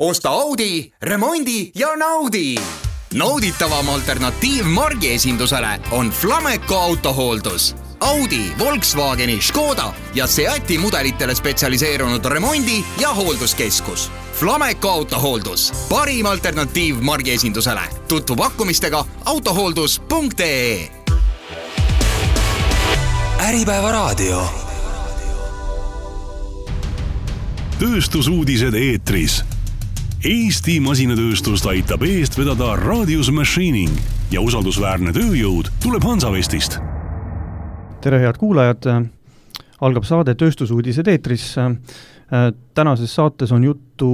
Osta Audi, remondi ja naudi! Nauditavam alternatiiv margi esindusele on Flameco autohooldus. Audi, Volkswageni, Škoda ja Seati mudelitele spetsialiseerunud remondi- ja hoolduskeskus. Flameco autohooldus, parim alternatiiv margi esindusele. Tutvu pakkumistega autohooldus.ee. Äripäeva raadio. Tööstusuudised eetris. Eesti masinatööstust aitab eest vedada Radius Machining ja usaldusväärne tööjõud tuleb Hansavestist. Tere head kuulajad, algab saade Tööstusuudised eetris. Tänases saates on juttu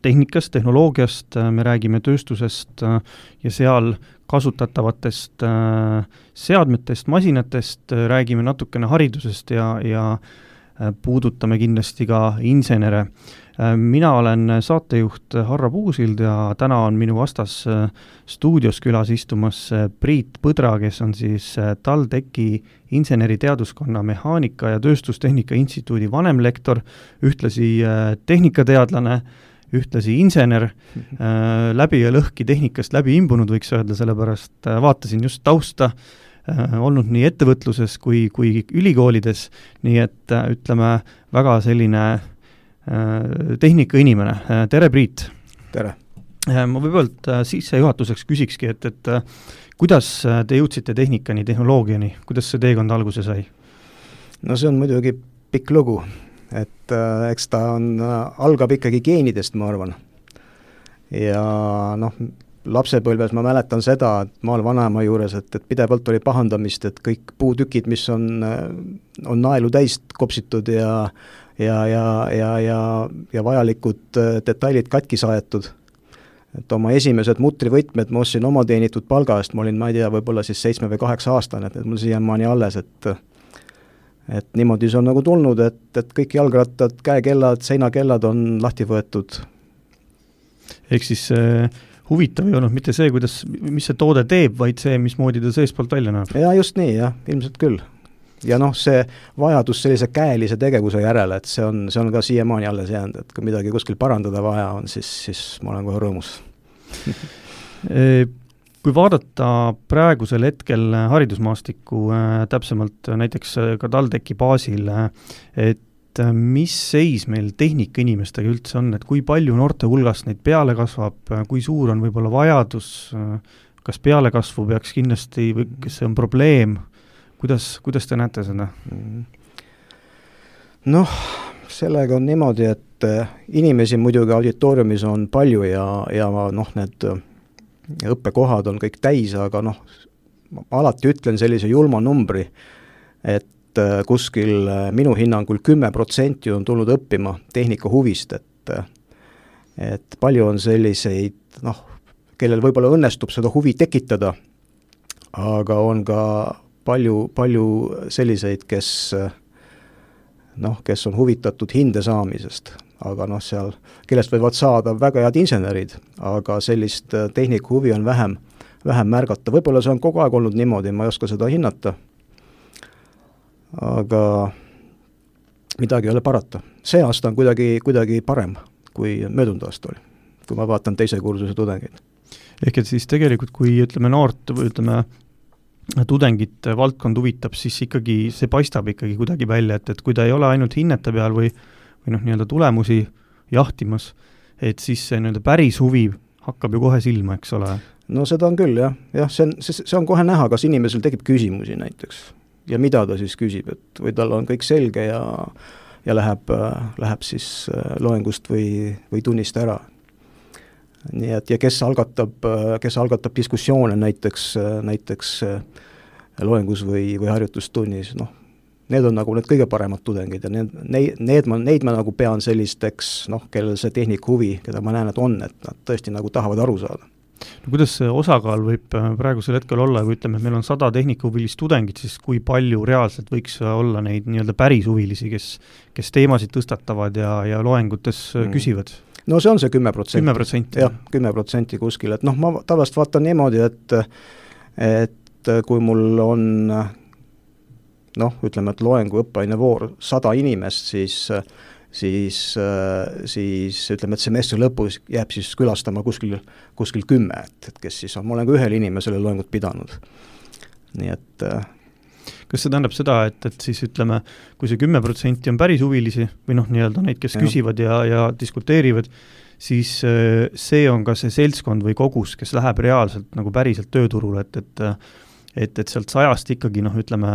tehnikast, tehnoloogiast, me räägime tööstusest ja seal kasutatavatest seadmetest, masinatest, räägime natukene haridusest ja puudutame kindlasti ka insenere. Mina olen saatejuht Harra Puusild ja täna on minu vastas stuudios külas istumas Priit Põdra, kes on siis TalTechi inseneriteaduskonna mehaanika ja tööstustehnika instituudi vanemlektor, ühtlasi tehnikateadlane, ühtlasi insener, läbi ja lõhki tehnikast läbi imbunud, võiks öelda, sellepärast vaatasin just tausta, olnud nii ettevõtluses kui ülikoolides, nii et ütleme väga selline tehnika inimene. Tere, Priit! Tere! Ma võibolt sissejuhatuseks küsikski, et kuidas te jõudsite tehnikani, tehnoloogiani, kuidas see teekond alguse sai? No see on muidugi pikk lugu, et eks ta algab ikkagi geenidest, ma arvan. Ja lapsepõlves ma mäletan seda, et maal vanaema juures, et pidevalt oli pahandamist, et kõik puutükid, mis on naelu täist kopsitud ja vajalikud detailid katki saetud. Et oma esimesed mutrivõtmed ma ostsin oma teenitud palga eest, ma olin, ma ei tea, võib-olla siis 7 või 8 aastane, et mul siiamaani alles, et niimoodi see on nagu tulnud, et kõik jalgrattad, käekellad, seinakellad on lahti võetud. Ehk siis huvitav ei olnud mitte see, mis see toode teeb, vaid see, mismoodi ta seespoolt välja näeb. Ja just nii, jah, ilmselt küll. Ja see vajadus sellise käelise tegevuse järele, et see on ka siiamaani alles jäänud, et kui midagi kuskil parandada vaja on, siis ma olen kohe rõõmus. Kui vaadata praegusel hetkel haridusmaastikku, täpsemalt näiteks ka TalTechi baasil, et mis seis meil tehnika inimestega üldse on, et kui palju noorte hulgast neid peale kasvab, kui suur on võib-olla vajadus, kas pealekasvu peaks kindlasti või kas see on probleem? Kuidas te näete seda? Sellega on niimoodi, et inimesi muidugi auditooriumis on palju ja need õppekohad on kõik täis, aga ma alati ütlen sellise julma numbri, et kuskil minu hinnangul 10% on tulnud õppima tehnika huvist, et palju on selliseid, kellel võib-olla õnnestub seda huvi tekitada, aga on ka palju selliseid, kes on huvitatud hinde saamisest, aga seal, kellest võivad saada väga head insenerid, aga sellist tehnika huvi on vähem märgata. Võib-olla see on kogu aeg olnud niimoodi, ma ei oska seda hinnata, aga midagi ei ole parata. See aasta on kuidagi parem, kui möödunud aasta oli, kui ma vaatan teise kursuse tudengeid. Ehk et siis tegelikult, kui noort või tudengit valdkond huvitab, siis ikkagi see paistab ikkagi kuidagi välja, et kui ta ei ole ainult hinnete peal või nii-öelda tulemusi jahtimas, et siis see nii-öelda päris huvi hakkab ju kohe silma, eks ole? No seda on küll, jah. See on kohe näha, kas inimesel tekib küsimusi näiteks ja mida ta siis küsib, et või tal on kõik selge ja läheb siis loengust või tunnist ära. Nii et ja kes algatab diskussioone näiteks loengus või harjutustunnis, need on nagu need kõige paremad tudengid ja neid ma nagu pean sellisteks, kellel see tehnik huvi, keda ma näen, et nad tõesti nagu tahavad aru saada. No, kuidas see osakaal võib praegusel hetkel olla, kui ütleme, et meil on 100 tehnikahuvilist tudengit, siis kui palju reaalselt võiks olla neid nii-öelda päris huvilisi, kes teemasid tõstatavad ja loengutes küsivad? No see on see 10%. 10%. Jah, 10% kuskil, et ma tavaliselt vaatan niimoodi, et kui mul on ütleme, et loengu õppeaine voor 100 inimest, siis siis ütleme, et semestri lõpus jääb siis külastama kuskil 10, et kes siis on, ma olen ka ühele inimesele loengut pidanud. Nii et kas see tähendab seda, et siis ütleme, kui see 10% on päris huvilisi või nii-öelda neid, kes küsivad ja diskuteerivad, siis see on ka see seltskond või kogus, kes läheb reaalselt nagu päriselt tööturule, et sealt 100 ikkagi ütleme,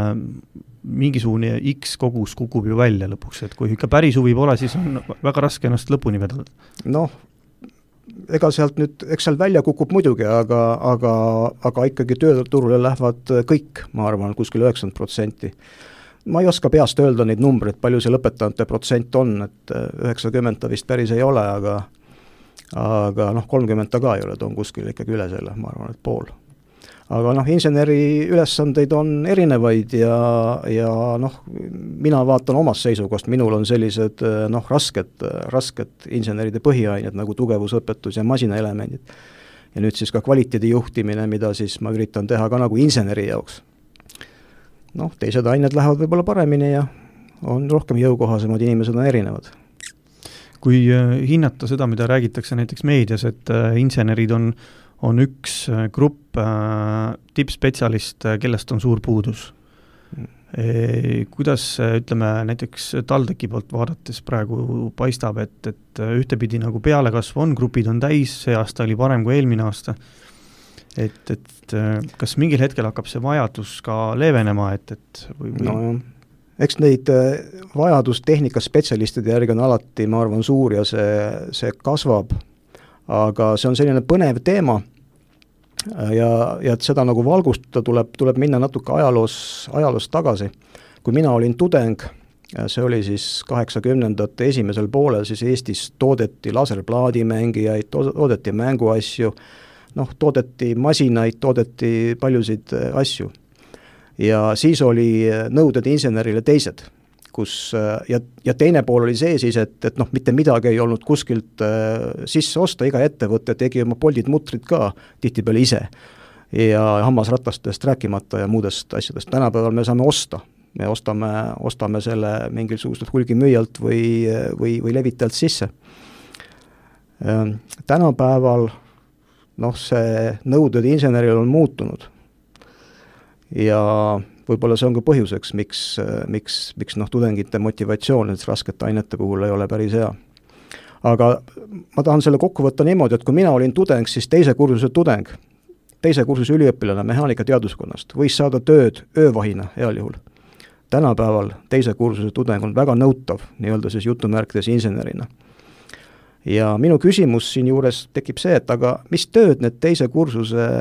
mingisugune X kogus kukub ju välja lõpuks, et kui ikka päris huvi pole, siis on väga raske ennast lõpuni vedada. Ega sealt nüüd, eks seal välja kukub muidugi, aga ikkagi tööturule lähevad kõik, ma arvan, kuskil 90%. Ma ei oska peast öelda neid numbreid, palju see lõpetanute protsent on, et 90 vist päris ei ole, aga 30 ka ei ole, ta on kuskil ikkagi üle selle, ma arvan, et pool. Aga inseneri ülesandeid on erinevaid ja mina vaatan omast seisukohast, minul on sellised rasked inseneride põhiained nagu tugevusõpetus ja masinaelemendid. Ja nüüd siis ka kvaliteedi juhtimine, mida siis ma üritan teha ka nagu inseneri jaoks. Teised ained lähevad võib-olla paremini ja on rohkem jõukohasemad, inimesed on erinevad. Kui hinnata seda, mida räägitakse näiteks meedias, et insenerid on üks grupp tippspetsialist, kellest on suur puudus. Kuidas, ütleme, näiteks TalTechi poolt vaadates praegu paistab, et ühtepidi nagu pealekasv on, grupid on täis, see aasta oli parem kui eelmine aasta. Et kas mingil hetkel hakkab see vajadus ka leevenema, eks neid vajadus tehnikaspetsialistide järgi on alati, ma arvan, suur ja see kasvab. Aga see on selline põnev teema ja et seda nagu valgustada tuleb minna natuke ajaloos tagasi. Kui mina olin tudeng, see oli siis 80ndate esimesel poolel, siis Eestis toodeti laserplaadimängijaid, toodeti mänguasju, toodeti masinaid, toodeti paljusid asju. Ja siis oli nõuded insenerile teised. Ja teine pool oli see siis, et mitte midagi ei olnud kuskilt sisse osta, iga ettevõte tegi oma poldid mutrid ka tihtipeale ise ja hammasratastest rääkimata ja muudest asjadest. Tänapäeval me saame osta, me ostame selle mingisugusest hulgimüüjalt või levitajalt sisse. Tänapäeval see nõuded inseneril on muutunud ja võib-olla see on ka põhjuseks, miks tudengite motivatsioon, et raskete ainete puhul ei ole päris hea. Aga ma tahan selle kokku võtta niimoodi, et kui mina olin tudeng, siis teise kursuse üliõpilane mehaanika teaduskonnast võis saada tööd öövahina heal juhul. Tänapäeval teise kursuse tudeng on väga nõutav, nii-öelda siis jutumärkides insenerina. Ja minu küsimus siin juures tekib see, et aga mis tööd need teise kursuse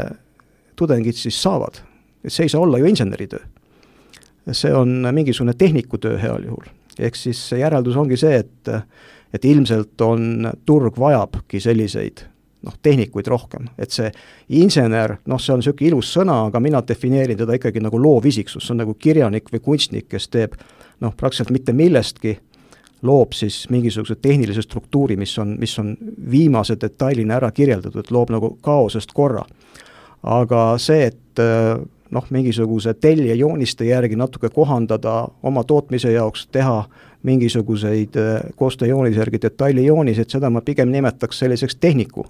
tudengid siis saavad? Et see ei saa olla ju inseneritöö. See on mingisugune tehnikutöö heal juhul. Ehk siis järeldus ongi see, et ilmselt on turg vajabki selliseid tehnikuid rohkem. Et see insener, see on selline ilus sõna, aga mina defineerin teda ikkagi nagu loovisiksus. See on nagu kirjanik või kunstnik, kes teeb praktiliselt mitte millestki, loob siis mingisuguse tehnilise struktuuri, mis on viimase detailina ära kirjeldatud, et loob nagu kaosest korra. Aga see, et mingisuguse telje jooniste järgi natuke kohandada oma tootmise jaoks, teha mingisuguseid koostööjoonise järgi detailijoonisi, et seda ma pigem nimetaks selliseks tehniku.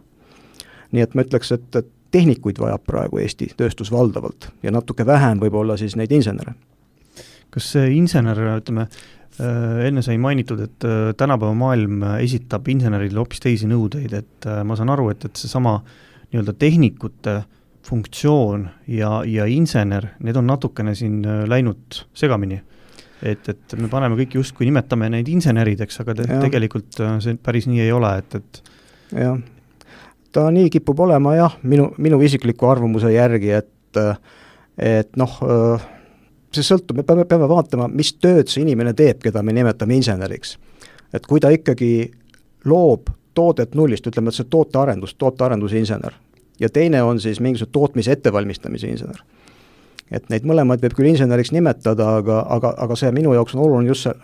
Nii et ma ütleks, et tehnikuid vajab praegu Eesti tööstus valdavalt ja natuke vähem võib-olla siis neid insenere. Kas see insener, ütleme, enne sai mainitud, et tänapäeva maailm esitab insenerile hoopis teisi nõudeid, et ma saan aru, et see sama nii-öelda tehnikute funktsioon ja insener, need on natukene siin läinud segamini. Et me paneme kõik justkui nimetame neid insenerideks, aga tegelikult see päris nii ei ole. Jah, ta nii kipub olema minu isikliku arvamuse järgi, et see sõltub, me peame vaatama, mis tööd see inimene teeb, keda me nimetame inseneriks. Et kui ta ikkagi loob toodet nullist, ütleme, et see tootearenduse insener, ja teine on siis mingisugune tootmise ettevalmistamise insener. Et neid mõlemaid võib küll inseneriks nimetada, aga see minu jaoks on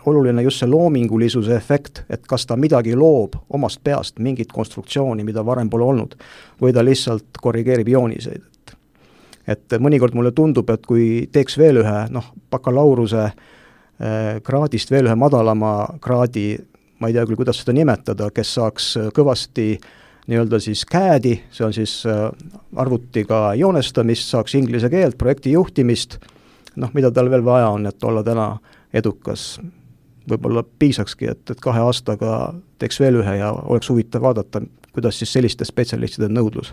oluline just see loomingulisuse efekt, et kas ta midagi loob omast peast, mingit konstruktsiooni, mida varem pole olnud, või ta lihtsalt korrigeerib jooniseid. Et mõnikord mulle tundub, et kui teeks veel ühe bakalaureuse kraadist veel ühe madalama kraadi ma ei tea küll, kuidas seda nimetada, kes saaks kõvasti nii-öelda siis CAD-i, see on siis arvutiga joonestamist, saaks inglise keelt, projekti juhtimist, noh, mida tal veel vaja on, et olla täna edukas. Võib-olla piisakski, et 2 aastaga teeks veel ühe ja oleks huvitav vaadata, kuidas siis selliste spetsialistide nõudlus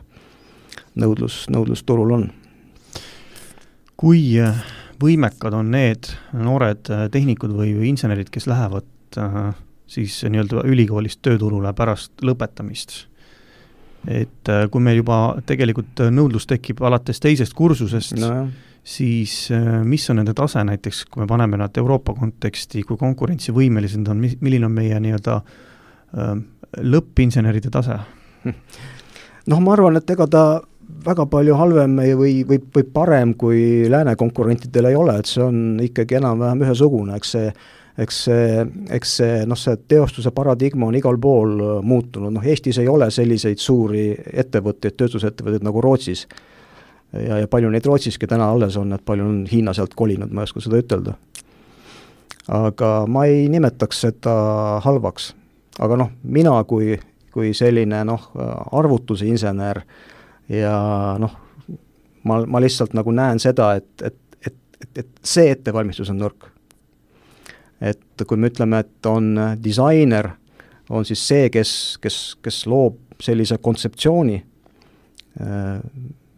turul on. Kui võimekad on need noored tehnikud või insenerid, kes lähevad siis nii-öelda ülikoolist tööturule pärast lõpetamist? Et kui meil juba tegelikult nõudlus tekib alates teisest kursusest, siis mis on nende tase näiteks, kui me paneme nad Euroopa konteksti, kui konkurentsivõimelised on, milline on meie nii-öelda lõppinseneride tase? Noh, ma arvan, et ega ta väga palju halvem või parem kui lääne konkurentidel ei ole, et see on ikkagi enam-vähem ühesugune, eks see teostuse paradigma on igal pool muutunud, noh Eestis ei ole selliseid suuri ettevõtteid, tööstusettevõtteid nagu Rootsis ja palju neid Rootsiski täna alles on, et palju on Hiina sealt kolinud, ma ei oska seda ütelda. Aga ma ei nimetaks seda halvaks, aga noh, mina kui selline arvutuse insener ja noh, ma lihtsalt nagu näen seda, et see ettevalmistus on nõrk. Et kui me ütleme, et on disainer, on siis see, kes loob sellise kontseptsiooni,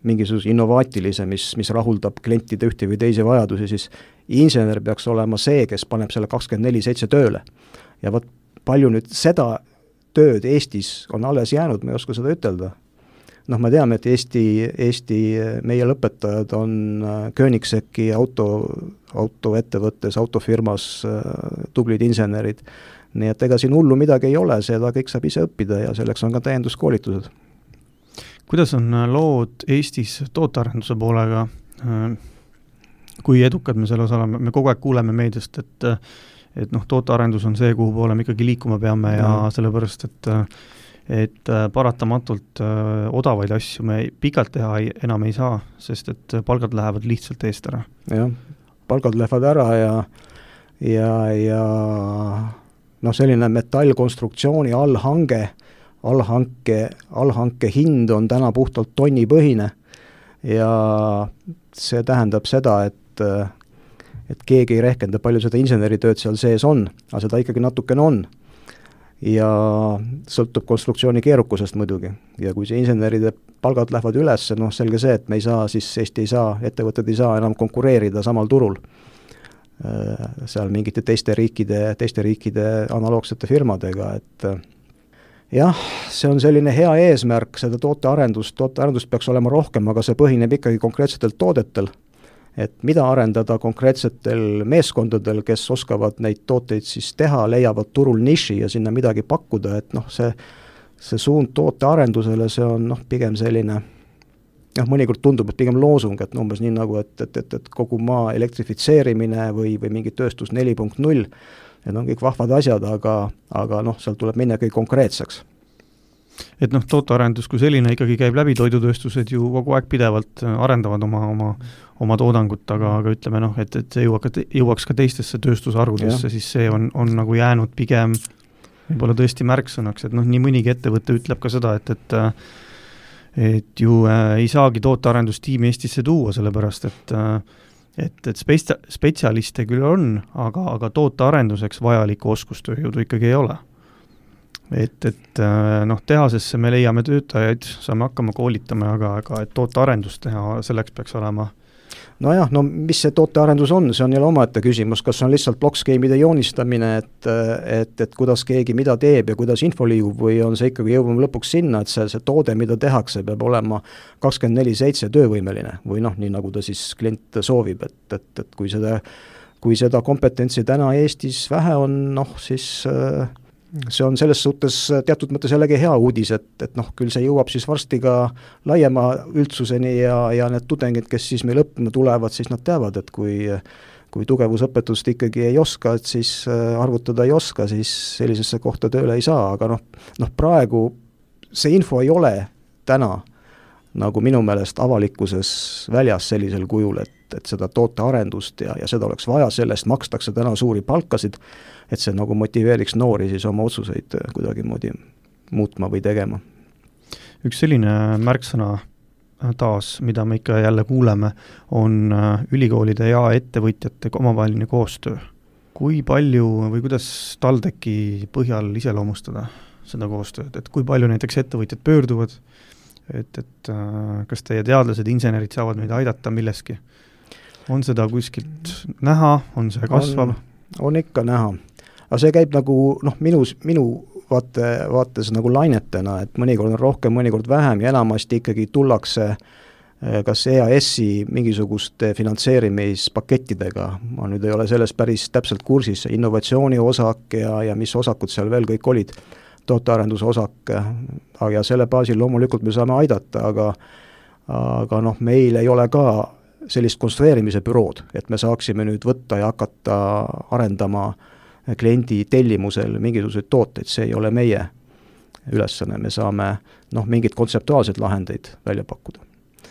mingisuguse innovaatilise, mis rahuldab klientide ühte või teisi vajadusi, siis insener peaks olema see, kes paneb selle 24/7 tööle. Ja võt palju nüüd seda tööd Eestis on alles jäänud, ma ei oska seda ütelda. Noh, me teame, et Eesti meie lõpetajad on Koenigseggi autoettevõttes, autofirmas tublid insenerid. Nii et ega siin hullu midagi ei ole, seda kõik saab ise õppida ja selleks on ka täienduskoolitused. Kuidas on lood Eestis tootearenduse poolega? Kui edukad me selles oleme? Me kogu aeg kuuleme meediast, et tootearendus on see, kuhu poole me ikkagi liikuma peame ja sellepärast, et paratamatult odavaid asju me pikalt teha enam ei saa, sest et palgad lähevad lihtsalt eest ära. Jah, palgad lähevad ära ja selline metallkonstruktsiooni allhanke hind on täna puhtalt tonnipõhine ja see tähendab seda, et keegi ei rehkenda, palju seda inseneritööd seal sees on, aga seda ikkagi natukene on. Ja sõltub konstruktsiooni keerukusest muidugi. Ja kui see inseneride palgad lähevad üles, selge see, et me ei saa, siis Eesti ei saa, ettevõtted ei saa enam konkureerida samal turul. Seal mingite teiste riikide analoogsete firmadega, et jah, see on selline hea eesmärk, seda tootearendust peaks olema rohkem, aga see põhineb ikkagi konkreetsetel toodetel. Et mida arendada konkreetsetel meeskondadel, kes oskavad neid tooteid siis teha, leiavad turul niši ja sinna midagi pakkuda, et see suund tootearendusele, see on pigem selline, mõnikord tundub, et pigem loosung, et umbes nii nagu, et kogu maa elektrifitseerimine või mingi tööstus 4.0, need on kõik vahvad asjad, aga seal tuleb minna kõik konkreetseks. Et tootearendus kui selline ikkagi käib läbi, toidutööstused ju kogu aeg pidevalt arendavad oma toodangut, aga ütleme et see jõuaks ka teistesse tööstusharudesse, siis see on nagu jäänud pigem võib-olla tõesti märksõnaks, et nii mõnigi ettevõte ütleb ka seda, et ju ei saagi tootearendustiimi Eestisse tuua, sellepärast et spetsialiste küll on, aga tootearenduseks vajalikku oskustööjõudu ikkagi ei ole. Et tehasesse me leiame töötajaid, saame hakkama koolitama, aga et tootearendust teha, selleks peaks olema. Nojah, mis see tootearendus on, see on jälle omaette küsimus, kas on lihtsalt blockskeemide joonistamine, et kuidas keegi mida teeb ja kuidas info liigub või on see ikkagi jõuame lõpuks sinna, et see toode, mida tehakse, peab olema 24/7 töövõimeline või nii nagu ta siis klient soovib, et kui seda kompetentsi täna Eestis vähe on, siis see on selles suhtes teatud mõttes jällegi hea uudis, et küll see jõuab siis varsti ka laiema üldsuseni ja need tudengid, kes siis meil õppima tulevad, siis nad teavad, et kui tugevusõpetust ikkagi ei oska, et siis arvutada ei oska, siis sellisesse kohta tööle ei saa, aga praegu see info ei ole täna nagu minu meelest avalikkuses väljas sellisel kujul, et seda tootearendust ja seda oleks vaja, sellest makstakse täna suuri palkasid, et see nagu motiveeriks noori siis oma otsuseid kuidagimoodi muutma või tegema. Üks selline märksõna taas, mida me ikka jälle kuuleme, on ülikoolide ja ettevõtjate omavaheline koostöö. Kui palju või kuidas TalTechi põhjal iseloomustada seda koostööd, et kui palju näiteks ettevõtjad pöörduvad, et kas teie teadlased, insenerid saavad meid aidata milleski? On seda kuskilt näha, on see kasvav? On ikka näha. Aga see käib nagu minu vaates nagu lainetena, et mõnikord on rohkem, mõnikord vähem ja enamasti ikkagi tullakse kas EAS-i mingisuguste finantseerimispakettidega, ma nüüd ei ole selles päris täpselt kursis, innovatsiooni osak ja mis osakud seal veel kõik olid, tootearenduse osak, ja selle baasil loomulikult me saame aidata, aga meil ei ole ka sellist konstrueerimise bürood, et me saaksime nüüd võtta ja hakata arendama kliendi tellimusel mingisuguseid tooteid, see ei ole meie ülesanne, me saame mingid kontseptuaalsed lahendeid välja pakkuda.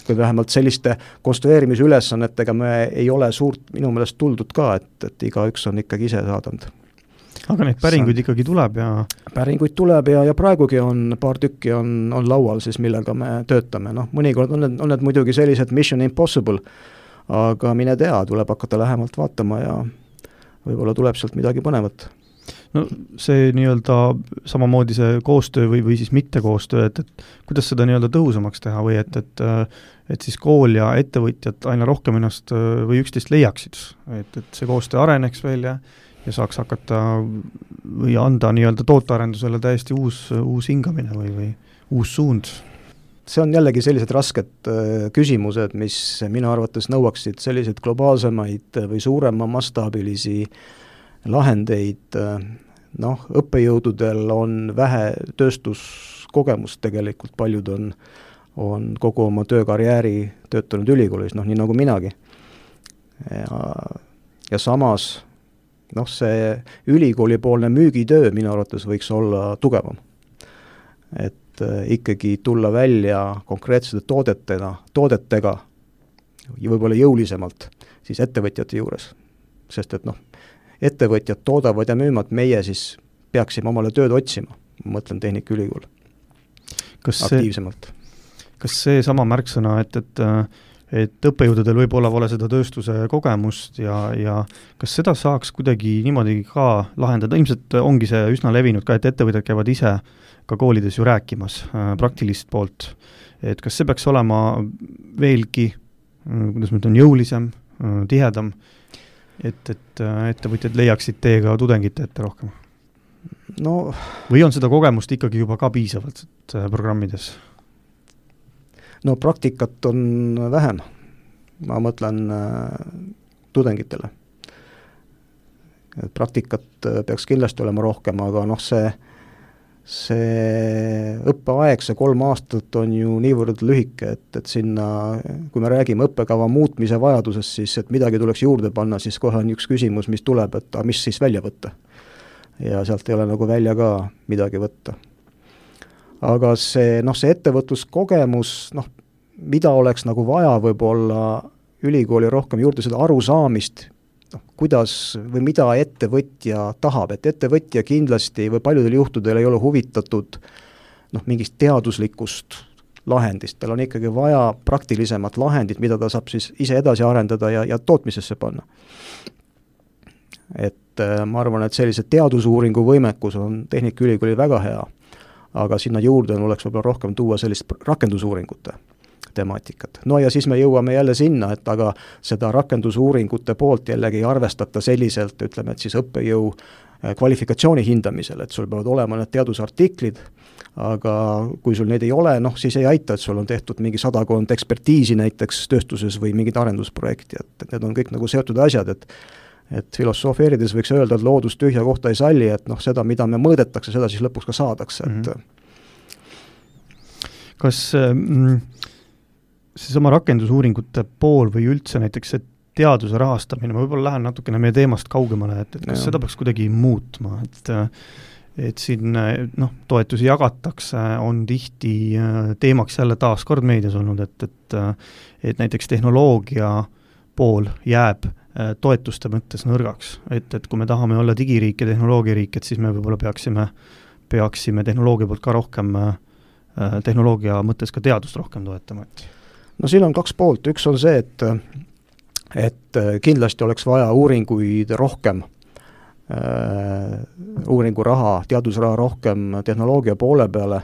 Kui vähemalt selliste konstrueerimise ülesannetega me ei ole suurt minu meelest tuldud ka, et igaüks on ikkagi ise saadanud. Aga neid päringuid ikkagi tuleb ja... Päringuid tuleb ja praegugi on paar tükki on laual siis, millega me töötame. Mõnikord on need muidugi sellised Mission Impossible, aga mine tea, tuleb hakata lähemalt vaatama ja võib-olla tuleb sealt midagi põnevat. No see nii-öelda samamoodi see koostöö või siis mitte koostöö, et kuidas seda nii-öelda tõhusamaks teha või et siis kool ja ettevõtjad aina rohkem ennast või üksteist leiaksid, et see koostöö areneks veel ja saaks hakata või anda nii-öelda tootearendusele täiesti uus hingamine või uus suund? See on jällegi sellised rasked küsimused, mis minu arvates nõuaksid selliseid globaalsemaid või suurema mastaabilisi lahendeid. Õppejõududel on vähe tööstuskogemust tegelikult, paljud on kogu oma töökarjääri töötanud ülikoolis, nii nagu minagi. Ja samas see ülikoolipoolne müügitöö minu arvates võiks olla tugevam. Et ikkagi tulla välja konkreetsete toodetega ja võib-olla jõulisemalt siis ettevõtjate juures. Sest et ettevõtjad toodavad ja müüvad, meie siis peaksime omale tööd otsima, ma mõtlen Tehnikaülikool aktiivsemalt. Kas see sama märksõna, et õppejõududel võib-olla pole seda tööstuse kogemust ja kas seda saaks kuidagi niimoodi ka lahendada? Ilmselt ongi see üsna levinud ka, et ettevõtjad käivad ise ka koolides ju rääkimas praktilist poolt. Et kas see peaks olema veelgi, kuidas ma ütlen, jõulisem, tihedam, et ettevõtjad leiaksid teega tudengite ette rohkem? Või on seda kogemust ikkagi juba ka piisavalt programmides? Praktikat on vähem, ma mõtlen tudengitele. Praktikat peaks kindlasti olema rohkem, aga see õppeaeg, see 3 aastat on ju niivõrd lühike, et sinna, kui me räägime õppekava muutmise vajadusest, siis et midagi tuleks juurde panna, siis kohe on üks küsimus, mis tuleb, et mis siis välja võtta. Ja sealt ei ole nagu välja ka midagi võtta. Aga see ettevõtluskogemus, mida oleks nagu vaja võib-olla ülikooli rohkem juurde seda arusaamist, kuidas või mida ettevõtja tahab, et ettevõtja kindlasti või paljudel juhtudel ei ole huvitatud mingist teaduslikust lahendist, tal on ikkagi vaja praktilisemat lahendit, mida ta saab siis ise edasi arendada ja tootmisesse panna. Et ma arvan, et sellise teadusuuringu võimekus on Tehnikaülikoolil väga hea, aga sinna juurde oleks võib-olla rohkem tuua sellist rakendusuuringute temaatikat. Ja siis me jõuame jälle sinna, et aga seda rakendusuuringute poolt jällegi ei arvestata selliselt, ütleme, et siis õppejõu kvalifikatsiooni hindamisel, et sul peavad olema need teadusartiklid, aga kui sul neid ei ole, siis ei aita, et sul on tehtud mingi 100 ekspertiisi näiteks tööstuses või mingid arendusprojekti, et need on kõik nagu seotud asjad, et filosofeerides võiks öelda, et loodus tühja kohta ei salli, et seda, mida me mõõdetakse, seda siis lõpuks ka saadakse. Kas seesama rakendusuuringute pool või üldse näiteks see teaduse rahastamine, ma võib-olla lähen natukene meie teemast kaugemale, et kas seda peaks kuidagi muutma, et siin toetusi jagatakse, on tihti teemaks jälle taas kord meedias olnud, et näiteks tehnoloogia pool jääb toetuste mõttes nõrgaks, et kui me tahame olla digiriik ja tehnoloogiariik, et siis me võib-olla peaksime tehnoloogia poolt ka rohkem, tehnoloogia mõttes ka teadust rohkem toetama. No siin on kaks poolt, üks on see, et kindlasti oleks vaja uuringuid rohkem, uuringuraha, teadusraha rohkem tehnoloogia poole peale,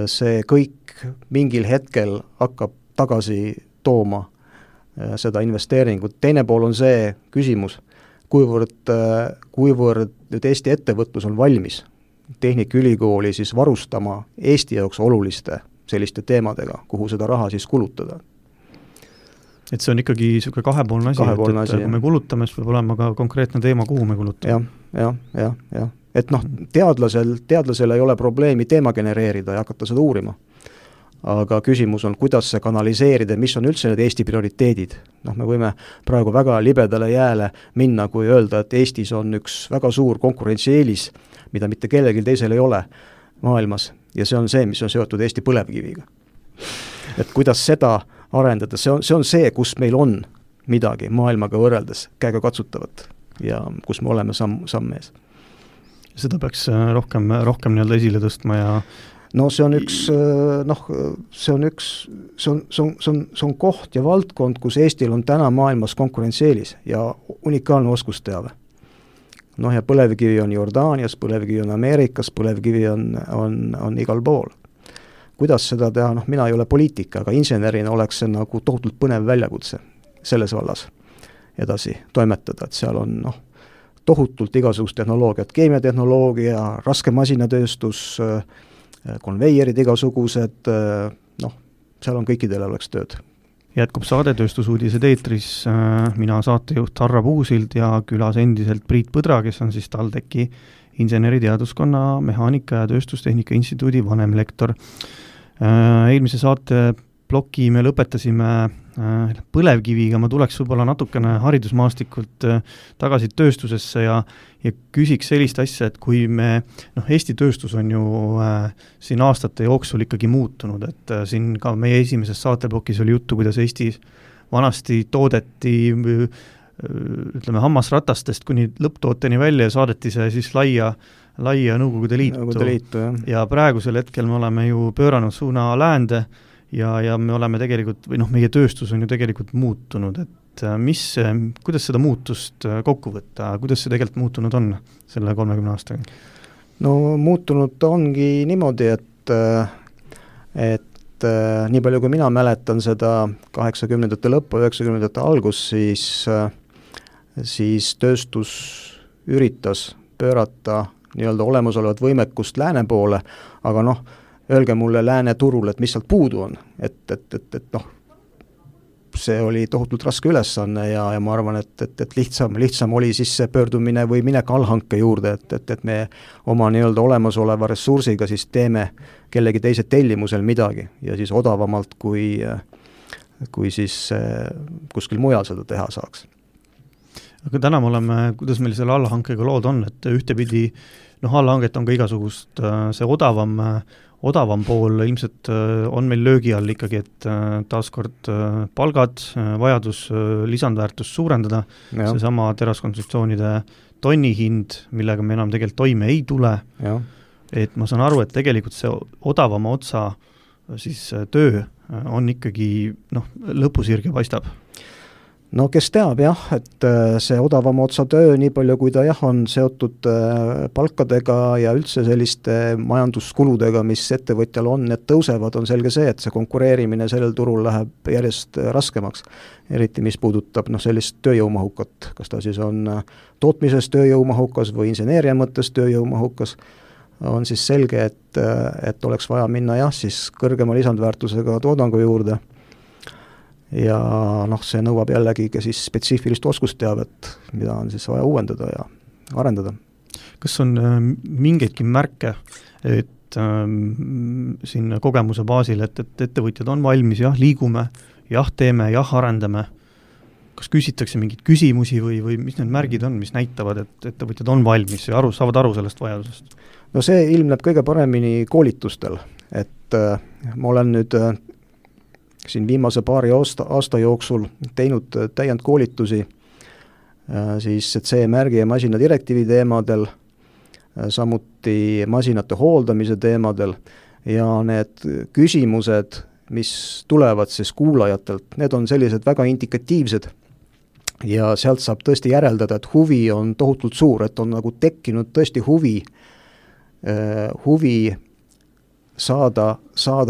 see kõik mingil hetkel hakkab tagasi tooma seda investeeringut. Teine pool on see küsimus, kuivõrd nüüd Eesti ettevõtlus on valmis Tehnikaülikooli siis varustama Eesti jaoks oluliste selliste teemadega, kuhu seda raha siis kulutada. Et see on ikkagi niisugune kahepoolne asi, et kui me kulutame, siis peab olema ka konkreetne teema, kuhu me kulutame. Jah. Et teadlasel ei ole probleemi teema genereerida ja hakata seda uurima. Aga küsimus on, kuidas see kanaliseerida, mis on üldse need Eesti prioriteedid. Me võime praegu väga libedale jääle minna, kui öelda, et Eestis on üks väga suur konkurentsieelis, mida mitte kellelgi teisel ei ole maailmas, ja see on see, mis on seotud Eesti põlevkiviga. Et kuidas seda arendada, see on see, kus meil on midagi maailmaga võrreldes käega katsutavat ja kus me oleme samm ees. Seda peaks rohkem nii-öelda esile tõstma ja no see on koht ja valdkond, kus Eestil on täna maailmas konkurentsieelis ja unikaalne oskusteave. Ja põlevkivi on Jordaanias, põlevkivi on Ameerikas, põlevkivi on igal pool. Kuidas seda teha? Mina ei ole poliitika, aga insenerina oleks see nagu tohutult põnev väljakutse selles vallas edasi toimetada, et seal on tohutult igasugust tehnoloogiat, keemiatehnoloogia, raske masinatööstus, konveierid igasugused, seal on kõikidele oleks tööd. Jätkub saade Tööstusuudised eetris, mina saatejuht Harra Puusild ja külas endiselt Priit Põdra, kes on siis TalTechi inseneriteaduskonna Mehaanika ja Tööstustehnika instituudi vanemlektor. Eelmise saate ploki me lõpetasime põlevkiviga, ma tuleks võib-olla natukene haridusmaastikult tagasi tööstusesse ja küsiks sellist asja, et kui me, Eesti tööstus on ju siin aastate jooksul ikkagi muutunud, et siin ka meie esimeses saateplokis oli juttu, kuidas Eestis vanasti toodeti ütleme hammasratastest kuni lõpptooteni välja ja saadeti see siis laia Nõukogude Liitu. Ja praegusel hetkel me oleme ju pööranud suuna läände ja me oleme tegelikult, või meie tööstus on ju tegelikult muutunud, et kuidas seda muutust kokku võtta, kuidas see tegelikult muutunud on selle 30 aastaga? No muutunud ongi niimoodi, et nii palju kui mina mäletan seda 80-ndate lõppu, 90-ndate algus, siis tööstus üritas pöörata nii-öelda olemasolevat võimekust lääne poole, aga öelge mulle lääne turul, et mis sealt puudu on, et see oli tohutult raske ülesanne ja ma arvan, et lihtsam oli siis see pöördumine või minek allhanke juurde, et me oma nii-öelda olemasoleva ressursiga siis teeme kellegi teise tellimusel midagi ja siis odavamalt kui siis kuskil mujal seda teha saaks. Aga täna me oleme, kuidas meil selle allhankega lood on, et ühtepidi allhanget on ka igasugust, see odavam pool ilmselt on meil löögi all ikkagi, et taaskord palgad, vajadus lisandväärtust suurendada, seesama teraskonstruktsioonide tonnihind, millega me enam tegelikult toime ei tule, et ma saan aru, et tegelikult see odavama otsa siis töö on ikkagi lõpusirge paistab. No kes teab et see odavama otsa töö, nii palju kui ta on seotud palkadega ja üldse selliste majanduskuludega, mis ettevõtjal on, need tõusevad, on selge see, et see konkureerimine sellel turul läheb järjest raskemaks. Eriti mis puudutab sellist tööjõumahukat, kas ta siis on tootmises tööjõumahukas või inseneeria mõttes tööjõumahukas, on siis selge, et oleks vaja minna siis kõrgema lisandväärtusega toodangu juurde. Ja see nõuab jällegi ka siis spetsiifilist oskusteavet, mida on siis vaja uuendada ja arendada. Kas on mingeidki märke, et siin kogemuse baasil, et ettevõtjad on valmis, liigume, teeme, arendame? kas küsitakse mingeid küsimusi või mis need märgid on, mis näitavad, et ettevõtjad on valmis ja saavad aru sellest vajadusest? No see ilmneb kõige paremini koolitustel, et ma olen nüüd siin viimase paari aasta jooksul teinud täiendkoolitusi siis CE-märgi ja masina direktiivi teemadel, samuti masinate hooldamise teemadel ja need küsimused, mis tulevad siis kuulajatelt, need on sellised väga indikatiivsed ja sealt saab tõesti järeldada, et huvi on tohutult suur, et on nagu tekkinud tõesti huvi saada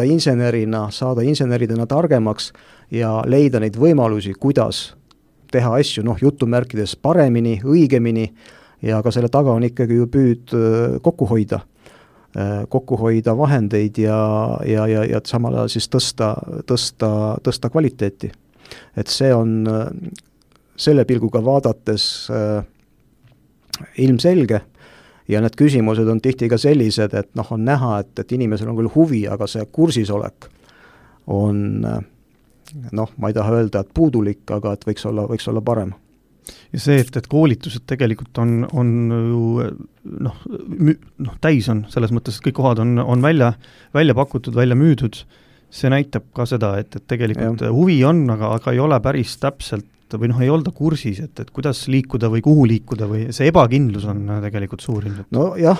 inseneridena targemaks ja leida neid võimalusi, kuidas teha asju, jutumärkides paremini, õigemini ja ka selle taga on ikkagi ju püüd kokku hoida vahendeid ja samal ajal siis tõsta kvaliteeti. Et see on selle pilguga vaadates ilmselge ja need küsimused on tihti ka sellised, et on näha, et inimesel on küll huvi, aga see kursisolek on, ma ei taha öelda, et puudulik, aga et võiks olla parem. Ja see, et koolitused tegelikult on ju täis on, selles mõttes, et kõik kohad on välja pakutud, välja müüdud, see näitab ka seda, et tegelikult huvi on, aga ei ole päris täpselt või ei olda kursis, et kuidas liikuda või kuhu liikuda või see ebakindlus on tegelikult suur ilmselt. No jah,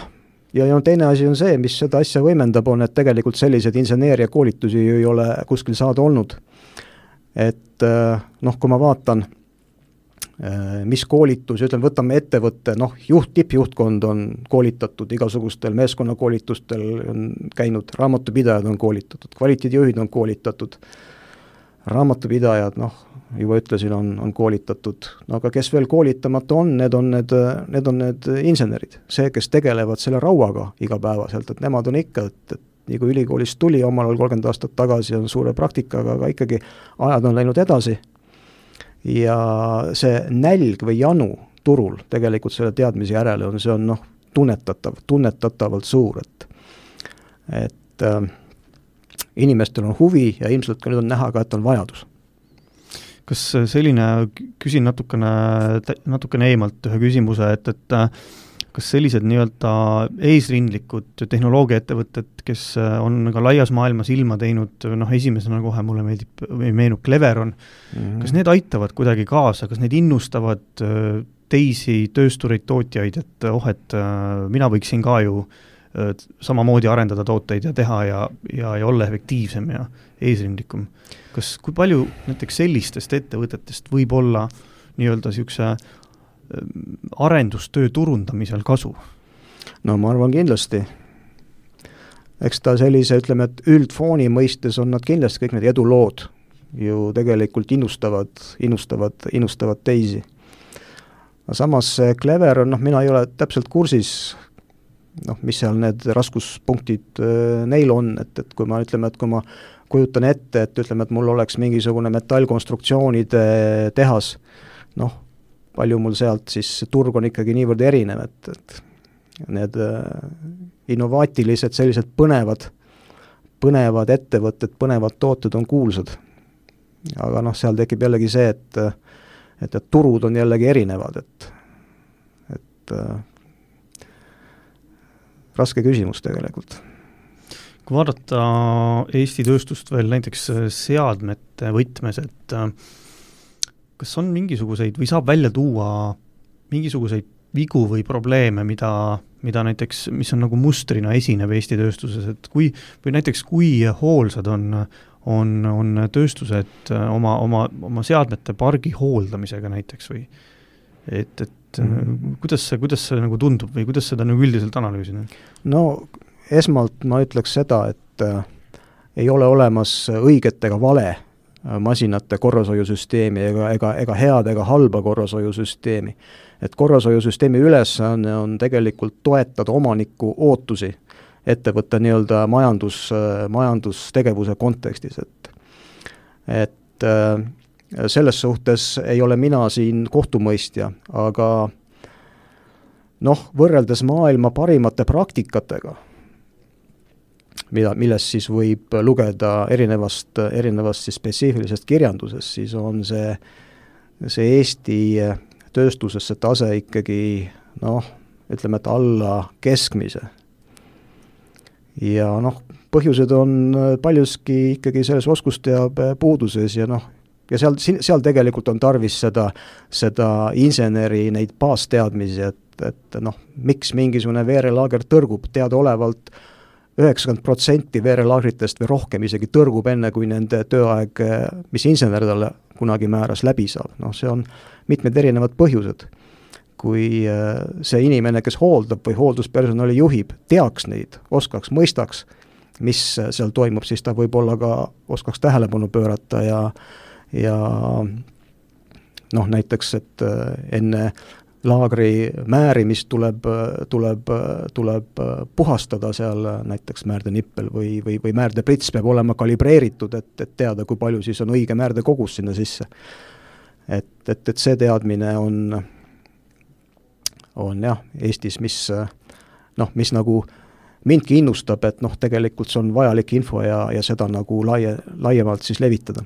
ja teine asi on see, mis seda asja võimendab, on, et tegelikult sellised inseneeria koolitusi ei ole kuskil saada olnud. Et kui ma vaatan, mis koolitus, võtame ettevõtte, tippjuhtkond on koolitatud igasugustel meeskonnakoolitustel, on käinud, raamatupidajad on koolitatud, kvaliteedijuhid on koolitatud, raamatupidajad, juba ütlesin, on koolitatud, aga kes veel koolitamata on, need on need insenerid, see, kes tegelevad selle rauaga igapäevaselt, et nemad on ikka, et nii kui ülikoolist tuli omal ajal 30 aastat tagasi, on suure praktikaga, aga ikkagi ajad on läinud edasi ja see nälg või janu turul tegelikult selle teadmise järele on, see on tunnetatavalt suur, et inimestel on huvi ja ilmselt ka nüüd on näha ka, et on vajadus. Kas selline, küsin natukene eemalt ühe küsimuse, et kas sellised nii-öelda eesrindlikud tehnoloogiaettevõtted, kes on ka laias maailmas ilma teinud, esimesena kohe mulle meenub Cleveron, kas need aitavad kuidagi kaasa, kas need innustavad teisi tööstureid, tootjaid, et mina võiksin ka ju samamoodi arendada tooteid ja teha ja olla efektiivsem ja eesrindlikum. Kui palju näiteks sellistest ettevõtetest võib olla nii-öelda niisuguse arendustöö turundamisel kasu? No ma arvan kindlasti. Eks ta sellise, ütleme, et üldfooni mõistes on nad kindlasti kõik need edulood ju tegelikult innustavad teisi. Samas Cleveron, mina ei ole täpselt kursis, mis seal need raskuspunktid neil on, et kui ma ütleme, et kui ma kujutan ette, et ütleme, et mul oleks mingisugune metallkonstruktsioonide tehas, palju mul sealt siis turg on ikkagi niivõrd erinev, et need innovaatilised sellised põnevad ettevõtted, põnevad tooted on kuulsad. Aga seal tekib jällegi see, et turud on jällegi erinevad, et raske küsimus tegelikult. Kui vaadata Eesti tööstust veel näiteks seadmete võtmes, et kas on mingisuguseid või saab välja tuua mingisuguseid vigu või probleeme, mida näiteks, mis on nagu mustrina esinev Eesti tööstuses, et kui hoolsad on tööstused oma seadmete pargi hooldamisega näiteks või kuidas see nagu tundub või kuidas seda nagu üldiselt analüüsida? No esmalt ma ütleks seda, et ei ole olemas õiget ega vale masinate korrashoiusüsteemi ega head ega halba korrashoiusüsteemi. Et korrashoiusüsteemi ülesanne on tegelikult toetada omaniku ootusi ettevõtte nii-öelda majandustegevuse kontekstis. Et selles suhtes ei ole mina siin kohtumõistja, aga võrreldes maailma parimate praktikatega, millest siis võib lugeda erinevast siis spetsiifilisest kirjandusest, siis on see see Eesti tööstuses see tase ikkagi ütleme, et alla keskmise. Ja põhjused on paljuski ikkagi selles oskusteabe puuduses ja ja seal tegelikult on tarvis seda inseneri neid baasteadmisi, et miks mingisugune veerelaager tõrgub, teadaolevalt 90% veerelaagritest või rohkem isegi tõrgub enne, kui nende tööaeg, mis insener talle kunagi määras, läbi saab. See on mitmed erinevad põhjused. Kui see inimene, kes hooldab või hoolduspersonali juhib, teaks neid, oskaks, mõistaks, mis seal toimub, siis ta võib-olla ka oskaks tähelepanu pöörata ja näiteks, et enne laagri määrimist tuleb puhastada seal näiteks määrdenippel või määrdeprits peab olema kalibreeritud, et teada, kui palju siis on õige määrde kogus sinna sisse. Et see teadmine on jah, Eestis, mis nagu mindki innustab, et tegelikult see on vajalik info ja seda nagu laiemalt siis levitada.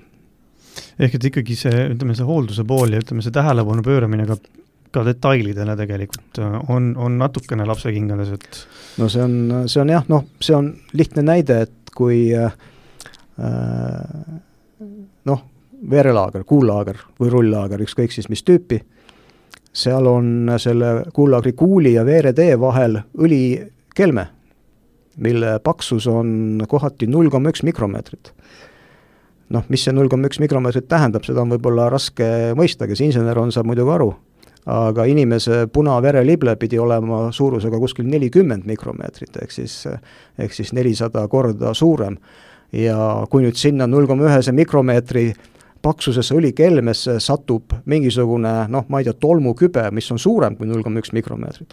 Ehk et ikkagi see hoolduse pool ja see tähelepanu pööramine ka detailidele tegelikult on natukene lapsekingades, et... No see on jah, see on lihtne näide, et kui veerelaager, kuullaager või rulllaager, ükskõik siis mis tüüpi, seal on selle kuullaagri kuuli ja veeretee vahel õlikelme, mille paksus on kohati 0,1 mikromeetrit. Mis see 0,1 mikromeetrit tähendab, seda on võib-olla raske mõista, kes insener on, saab muidugi aru, aga inimese punaverelible pidi olema suurusega kuskil 40 mikromeetrit, ehk siis 400 korda suurem. Ja kui nüüd sinna 0,1 mikromeetri paksusesse õlikelmesse satub mingisugune, ma ei tea, tolmukübe, mis on suurem kui 0,1 mikromeetrit,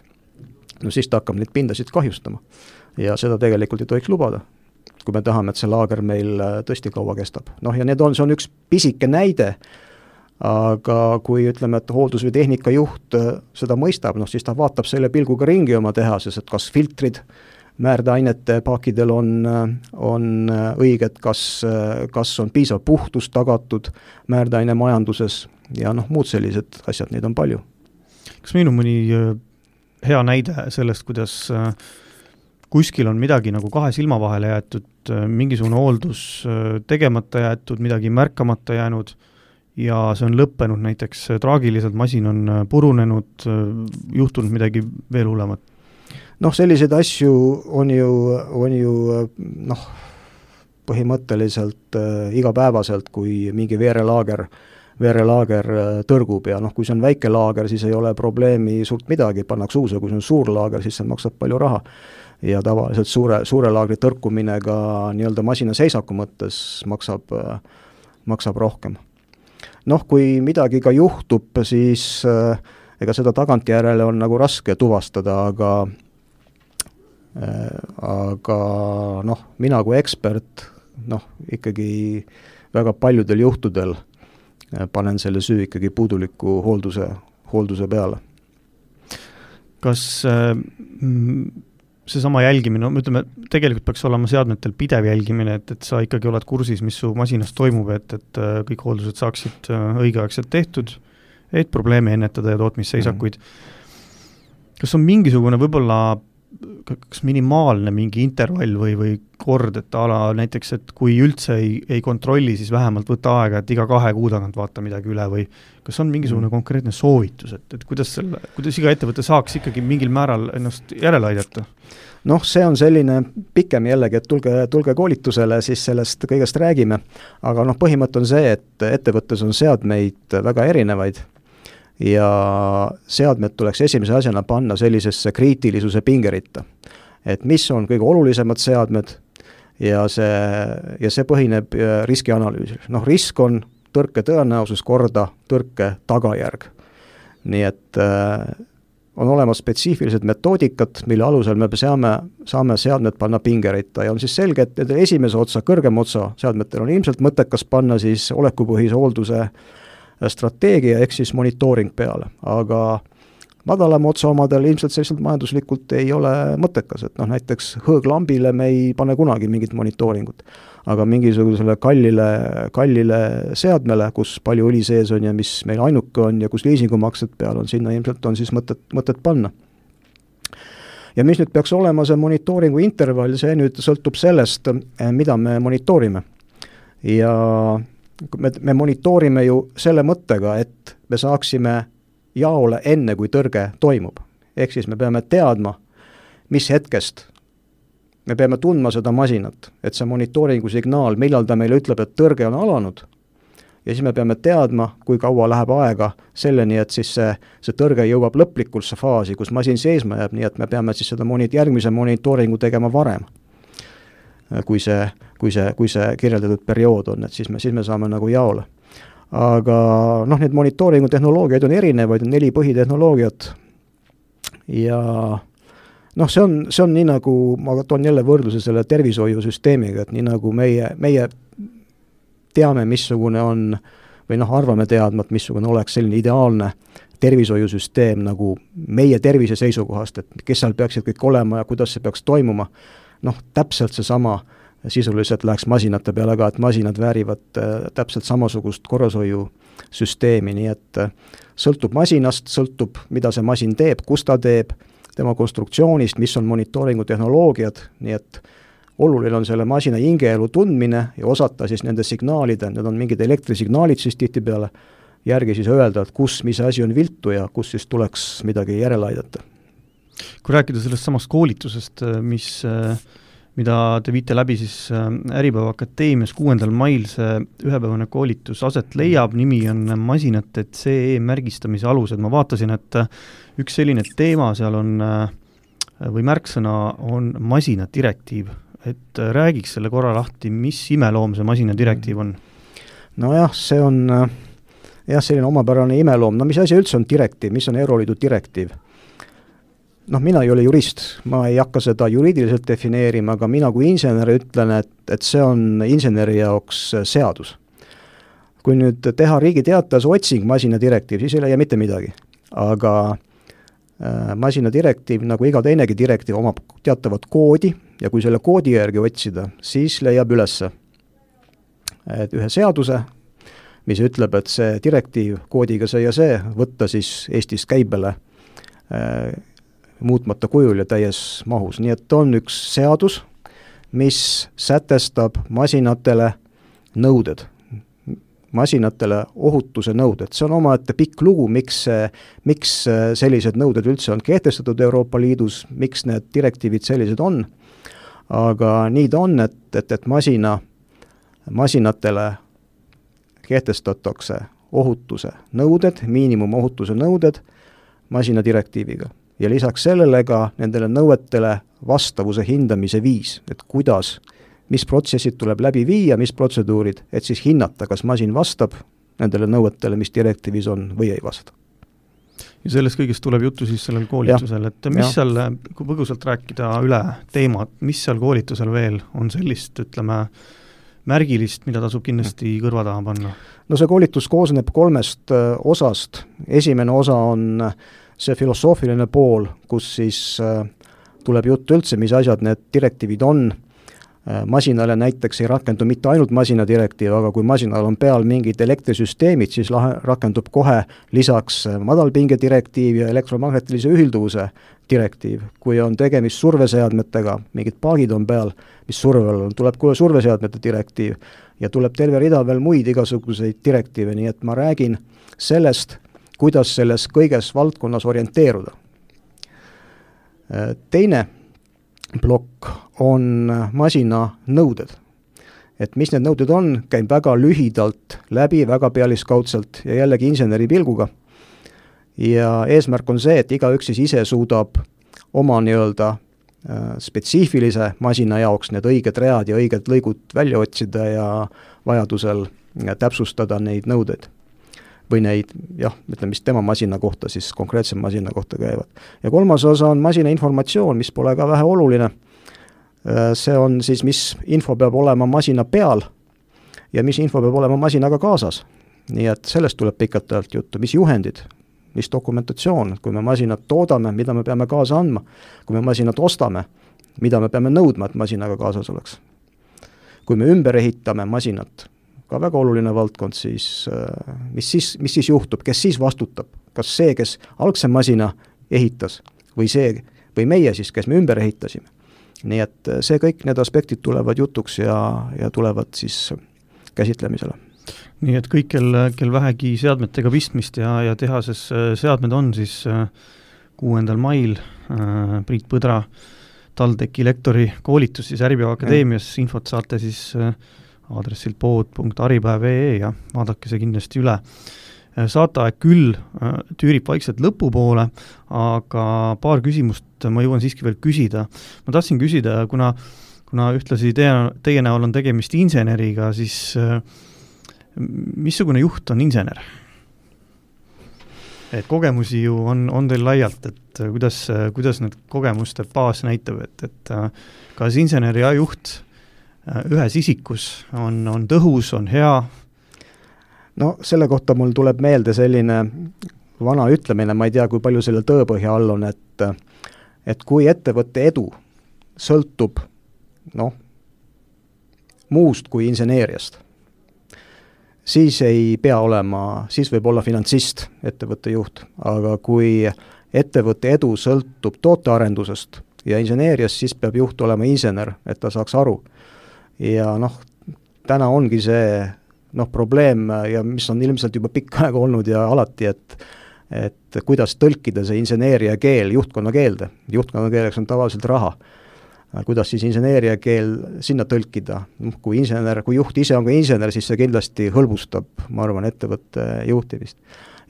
siis ta hakkab neid pindasid kahjustama. Ja seda tegelikult ei tohiks lubada, kui me tahame, et see laager meil tõesti kaua kestab. Ja see on üks pisike näide, aga kui ütleme, et hooldus- või tehnikajuht seda mõistab, siis ta vaatab selle pilguga ringi oma tehases, et kas filtrid määrdeainete paakidel on õiged, kas on piisav puhtus tagatud määrdeaine majanduses ja muud sellised asjad, neid on palju. Kas meil on mõni hea näide sellest, kuidas kuskil on midagi nagu kahe silma vahele jäetud, mingisugune hooldus tegemata jäetud, midagi märkamata jäänud ja see on lõppenud näiteks traagiliselt, masin on purunenud, juhtunud midagi veel hullemat? Selliseid asju on ju põhimõtteliselt igapäevaselt, kui mingi veerelaager tõrgub ja kui see on väike laager, siis ei ole probleemi suurt midagi, pannakse uus, kui see on suur laager, siis see maksab palju raha. Ja tavaliselt suure laagri tõrkumine ka nii-öelda masina seisaku mõttes maksab rohkem. Kui midagi ka juhtub, siis ega seda tagantjärele on nagu raske tuvastada, aga mina kui ekspert ikkagi väga paljudel juhtudel panen selle süü ikkagi puuduliku hoolduse peale. Kas seesama jälgimine, ütleme, tegelikult peaks olema seadmetel pidev jälgimine, et sa ikkagi oled kursis, mis su masinas toimub, et kõik hooldused saaksid õigeaegselt tehtud, et probleeme ennetada ja tootmisseisakuid. Kas on mingisugune võib-olla kas minimaalne mingi intervall või kord, et näiteks, et kui üldse ei kontrolli, siis vähemalt võtta aega, et iga 2 kuu tagant vaata midagi üle või kas on mingisugune konkreetne soovitus, et kuidas iga ettevõte saaks ikkagi mingil määral ennast järele aidata? See on selline pikem jällegi, et tulge koolitusele, siis sellest kõigest räägime, aga põhimõte on see, et ettevõttes on seadmeid väga erinevaid ja seadmed tuleks esimese asjana panna sellisesse kriitilisuse pingeritta. Et mis on kõige olulisemad seadmed ja see põhineb riskianalüüsil. Risk on tõrke tõenäosus korda tõrke tagajärg. Nii et on olemas spetsiifilised metoodikad, mille alusel me saame seadmed panna pingeritta ja on siis selge, et esimese otsa, kõrgem otsa seadmetel on ilmselt mõttekas panna siis olekupõhise hoolduse strateegia ehk siis monitooring peale, aga madalama otsa omadel ilmselt selliselt majanduslikult ei ole mõttekas, et näiteks hõõglambile me ei pane kunagi mingit monitooringut, aga mingisugusele kallile seadmele, kus palju õli sees on ja mis meil ainuke on ja kus liisingumaksed peal on, sinna ilmselt on siis mõtet panna. Ja mis nüüd peaks olema see monitooringu intervall, see nüüd sõltub sellest, mida me monitoorime. Ja me monitoorime ju selle mõttega, et me saaksime jaole enne, kui tõrge toimub. Ehk siis me peame teadma, mis hetkest me peame tundma seda masinat, et see monitooringu signaal, millal ta meile ütleb, et tõrge on alanud, ja siis me peame teadma, kui kaua läheb aega selleni, et siis see tõrge jõuab lõplikusse faasi, kus masin seisma jääb, nii et me peame siis seda järgmise monitooringu tegema varem, kui see kirjeldatud periood on, et siis me saame nagu jaole. Aga need monitooringu tehnoloogiaid on erinevaid, on 4 põhitehnoloogiat ja see on nii nagu, ma toon jälle võrdluse selle tervishoiusüsteemiga, et nii nagu meie teame, missugune on, või arvame teadma, et missugune oleks selline ideaalne tervishoiusüsteem nagu meie tervise seisukohast, et kes seal peaksid kõik olema ja kuidas see peaks toimuma, täpselt see sama sisuliselt läheks masinate peale ka, et masinad väärivad täpselt samasugust korrashoiusüsteemi, nii et sõltub masinast, sõltub, mida see masin teeb, kus ta teeb, tema konstruktsioonist, mis on monitooringu tehnoloogiad, nii et oluline on selle masina hingeelu tundmine ja osata siis nende signaalide, need on mingid elektrisignaalid siis tihtipeale, järgi siis öelda, et mis asi on viltu ja kus siis tuleks midagi järele aidata. Kui rääkida sellest samast koolitusest, mida te viite läbi siis Äripäeva Akadeemias 6. mail see ühepäevane koolitus aset leiab, nimi on masinate CE märgistamise alused. Ma vaatasin, et üks selline teema seal on, või märksõna on masinadirektiiv, et räägiks selle korra lahti, mis imeloom see masinadirektiiv on? Nojah, see on selline omapärane imeloom. Mis asi üldse on direktiiv, mis on Euroliidu direktiiv? Mina ei ole jurist, ma ei hakka seda juriidiliselt defineerima, aga mina kui insener ütlen, et see on inseneri jaoks seadus. Kui nüüd teha Riigi Teatajas otsing masinadirektiiv, siis ei leia mitte midagi. Aga masinadirektiiv, nagu iga teinegi direktiiv, omab teatavat koodi ja kui selle koodi järgi otsida, siis leiab ülesse ühe seaduse, mis ütleb, et see direktiiv koodiga see ja see võtta siis Eestis käibele muutmata kujul ja täies mahus. Nii et on üks seadus, mis sätestab masinatele nõuded, masinatele ohutuse nõuded. See on omaette pikk lugu, miks sellised nõuded üldse on kehtestatud Euroopa Liidus, miks need direktiivid sellised on. Aga nii ta on, et masinatele kehtestatakse ohutuse nõuded, miinimumohutuse nõuded masinadirektiiviga. Ja lisaks sellele ka nendele nõuetele vastavuse hindamise viis, et mis protsessid tuleb läbi viia, mis protseduurid, et siis hinnata, kas masin vastab nendele nõuetele, mis direktiivis on või ei vasta. Ja sellest kõigest tuleb juttu siis sellel koolitusel, et mis seal, kui põgusalt rääkida üle teemad, mis seal koolitusel veel on sellist, ütleme, märgilist, mida tasub kindlasti kõrva taha panna? No see koolitus koosneb 3 osast. Esimene osa on see filosoofiline pool, kus siis tuleb juttu üldse, mis asjad need direktiivid on. Masinale näiteks ei rakendu mitte ainult masinadirektiiv, aga kui masinal on peal mingid elektrisüsteemid, siis rakendub kohe lisaks madalpinge direktiiv ja elektromagnetilise ühilduvuse direktiiv. Kui on tegemist surveseadmetega, mingid paagid on peal, mis survel on, tuleb kohe surveseadmete direktiiv ja tuleb terve rida veel muid igasuguseid direktiive, nii et ma räägin sellest, kuidas selles kõiges valdkonnas orienteeruda. Teine plokk on masina nõuded. Et mis need nõuded on, käib väga lühidalt läbi, väga pealiskaudselt ja jällegi inseneri pilguga. Ja eesmärk on see, et igaüks siis ise suudab oma spetsiifilise masina jaoks need õiged read ja õiged lõigud välja otsida ja vajadusel täpsustada neid nõudeid. Või neid, ütleme, mis tema masina kohta, siis konkreetse masina kohta käivad. Ja 3. osa on masina informatsioon, mis pole ka vähe oluline. See on siis, mis info peab olema masina peal ja mis info peab olema masinaga kaasas. Nii et sellest tuleb pikalt juttu, mis juhendid, mis dokumentatsioon, kui me masinat toodame, mida me peame kaasa andma, kui me masinat ostame, mida me peame nõudma, et masinaga kaasas oleks. Kui me ümber ehitame masinat, ka väga oluline valdkond, siis mis siis juhtub, kes siis vastutab, kas see, kes algse masina ehitas või meie siis, kes me ümber ehitasime. Nii et see kõik need aspektid tulevad jutuks ja tulevad siis käsitlemisele. Nii et kõik, kel vähegi seadmetega pistmist ja tehases seadmed on, siis 6. mail Priit Põdra TalTechi lektori koolitus siis Äripäeva Akadeemias, infot saate siis aadressilt pood.aripäev.ee ja vaadake see kindlasti üle. Saateaeg küll tüürib vaikselt lõpupoole, aga paar küsimust ma jõuan siiski veel küsida. Ma tahtsin küsida, kuna ühtlasi teie näol on tegemist inseneriga, siis missugune juht on insener? Et kogemusi ju on teil laialt, et kuidas need kogemuste baas näitab, et kas inseneri ja juht ühes isikus on tõhus, on hea? No selle kohta mul tuleb meelde selline vana ütlemine, ma ei tea, kui palju selle tõepõhja all on, et kui ettevõtte edu sõltub muust kui inseneeriast, siis ei pea olema, siis võib olla finantsist ettevõtte juht, aga kui ettevõtte edu sõltub tootearendusest ja inseneeriast, siis peab juht olema insener, et ta saaks aru. Ja täna ongi see probleem ja mis on ilmselt juba pikka aega olnud ja alati, et kuidas tõlkida see inseneeria keel juhtkonna keelde. Juhtkonna keeleks on tavaliselt raha. Kuidas siis inseneeria keel sinna tõlkida? Kui juht ise on ka insener, siis see kindlasti hõlbustab, ma arvan, ettevõtte juhtimist.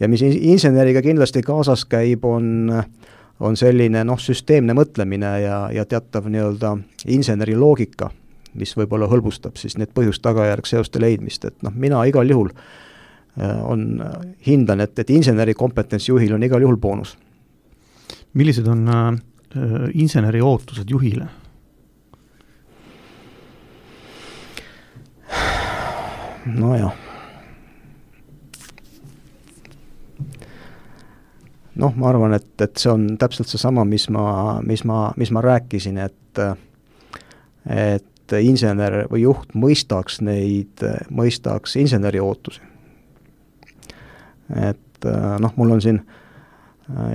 Ja mis inseneriga kindlasti kaasas käib, on selline süsteemne mõtlemine ja teatav nii-öelda inseneri loogika, mis võib-olla hõlbustab siis need põhjust-tagajärg seoste leidmist, et mina igal juhul hindan, et inseneri kompetents juhil on igal juhul boonus. Millised on inseneri ootused juhile? Nojah. Ma arvan, et see on täpselt see sama, mis ma rääkisin, et insener või juht mõistaks inseneri ootusi. Et mul on siin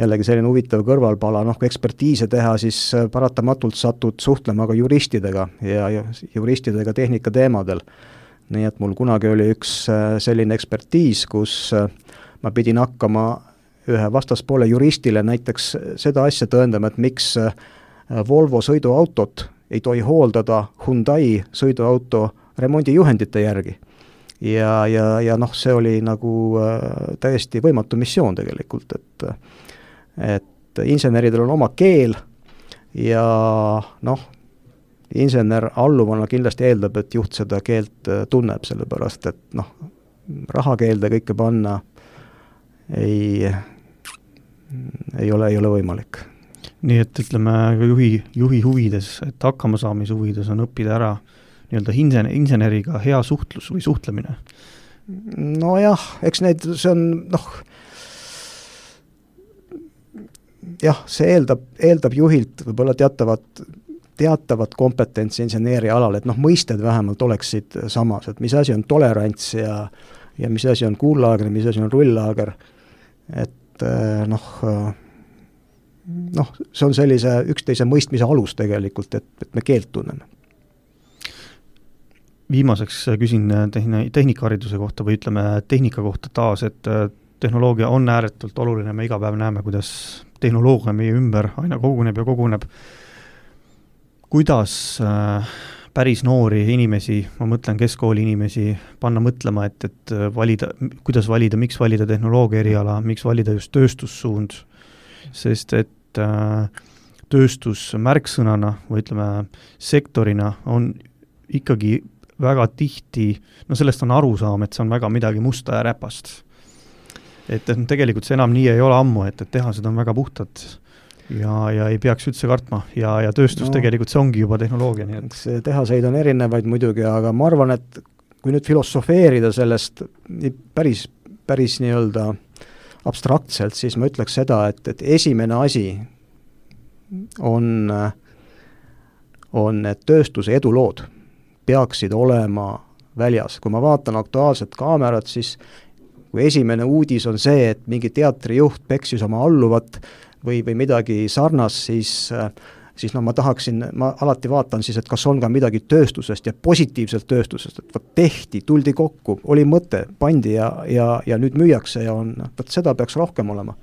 jällegi selline huvitav kõrvalpala, kui ekspertiise teha, siis paratamatult satud suhtlema ka juristidega ja juristidega tehnika teemadel. Nii et mul kunagi oli üks selline ekspertiis, kus ma pidin hakkama ühe vastaspoole juristile näiteks seda asja tõendama, et miks Volvo sõiduautot ei tohi hooldada Hyundai sõiduauto remondijuhendite järgi. Ja see oli nagu täiesti võimatu missioon tegelikult, et inseneridel on oma keel ja insener alluvana kindlasti eeldab, et juht seda keelt tunneb, sellepärast, et rahakeelde kõike panna ei ole võimalik. Nii et ütleme juhi huvides, et hakkama saamise huvides on õppida ära nii-öelda inseneriga hea suhtlus või suhtlemine? Nojah, eks see on see eeldab juhilt võib-olla teatavat kompetentsi inseneeria alal, et mõisted vähemalt oleksid samas, et mis asi on tolerants ja mis asi on kuullaager, mis asi on rullaager, et see on sellise üksteise mõistmise alus tegelikult, et me keelt tunneme. Viimaseks küsin tehnikahariduse kohta või ütleme tehnika kohta taas, et tehnoloogia on ääretult oluline, me iga päev näeme, kuidas tehnoloogia meie ümber aina koguneb ja koguneb. Kuidas päris noori inimesi, ma mõtlen keskkooli inimesi, panna mõtlema, et valida, kuidas valida, miks valida tehnoloogia eriala, miks valida just tööstussuund, sest et tööstus märksõnana või ütleme sektorina on ikkagi väga tihti, sellest on aru saama, et see on väga midagi musta ja räpast. Et tegelikult see enam nii ei ole ammu, et tehased on väga puhtad ja ei peaks üldse kartma ja tööstus tegelikult see ongi juba tehnoloogia. Nii et. See tehaseid on erinevaid muidugi, aga ma arvan, et kui nüüd filosofeerida sellest päris nii-öelda abstraktselt, siis ma ütleks seda, et esimene asi on need tööstuse edulood peaksid olema väljas. Kui ma vaatan Aktuaalset Kaamerat, siis kui esimene uudis on see, et mingi teatrijuht peksis oma alluvat või midagi sarnast, siis no ma alati vaatan siis, et kas on ka midagi tööstusest ja positiivselt tööstusest, et tehti, tuldi kokku, oli mõte, pandi ja nüüd müüakse ja seda peaks rohkem olema.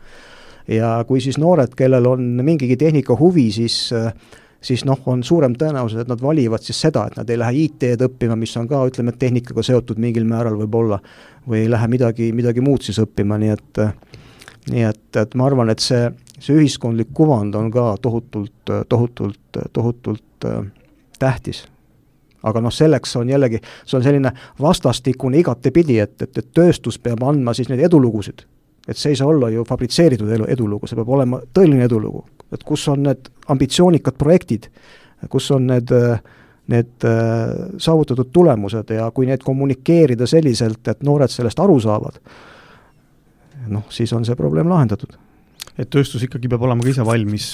Ja kui siis noored, kellel on mingigi tehnika huvi, siis on suurem tõenäosus, et nad valivad siis seda, et nad ei lähe IT-d õppima, mis on ka, ütleme, tehnikaga seotud mingil määral võib-olla, või ei lähe midagi muud siis õppima, nii et ma arvan, et see ühiskondlik kuvand on ka tohutult tähtis. Aga selleks on jällegi, see on selline vastastikune igatepidi, et tööstus peab andma siis neid edulugusid. Et see ei saa olla ju fabritseeritud edulugu, see peab olema tõeline edulugu. Et kus on need ambitsioonikad projektid, kus on need saavutatud tulemused ja kui need kommunikeerida selliselt, et noored sellest aru saavad, siis on see probleem lahendatud. Et tööstus ikkagi peab olema ka ise valmis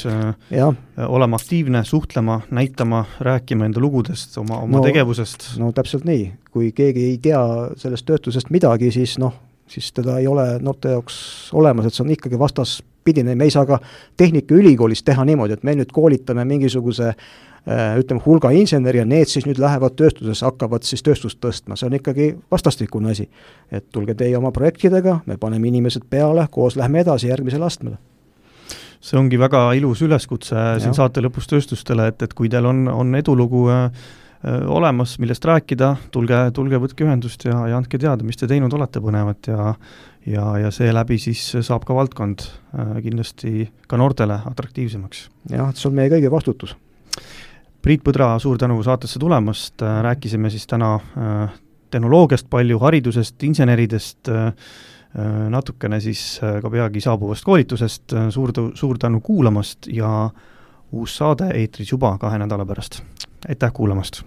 olema aktiivne, suhtlema, näitama, rääkima enda lugudest, oma tegevusest. No täpselt nii. Kui keegi ei tea sellest tööstusest midagi, siis teda ei ole noorte jaoks olemas, et see on ikkagi vastaspidine. Me ei saa ka Tehnikaülikoolis teha niimoodi, et me nüüd koolitame mingisuguse hulga inseneri ja need siis nüüd lähevad tööstuses, hakkavad siis tööstust tõstma. See on ikkagi vastastikune asi. Et tulge teie oma projektidega, me paneme inimesed peale, koos lähme edasi järgmisele astmele. See ongi väga ilus üleskutse siin saate lõpus tööstustele, et kui teil on edulugu olemas, millest rääkida, tulge võtke ühendust ja andke teada, mis te teinud olete põnevat ja see läbi siis saab ka valdkond kindlasti ka noortele atraktiivsemaks. Jah, see on meie kõigi vastutus. Priit Põdra, suur tänu saatesse tulemast, rääkisime siis täna tehnoloogiast palju, haridusest, inseneridest, natukene siis ka peagi saabuvast koolitusest, suur tänu kuulamast ja uus saade eetris juba 2 nädala pärast. Aitäh kuulamast!